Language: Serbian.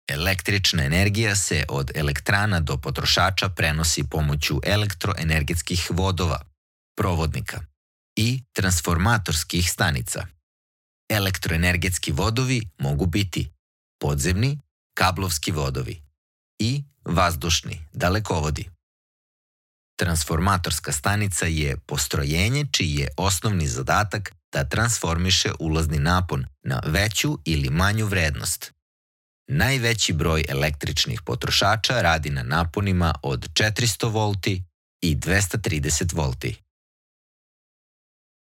Električna energija se od elektrana do potrošača prenosi pomoću elektroenergetskih vodova, provodnika i transformatorskih stanica. Elektroenergetski vodovi mogu biti podzemni, kablovski vodovi i vazdušni, dalekovodi. Transformatorska stanica je postrojenje čiji je osnovni zadatak da transformiše ulazni napon na veću ili manju vrednost. Najveći broj električnih potrošača radi na naponima od 400 volti i 230 volti.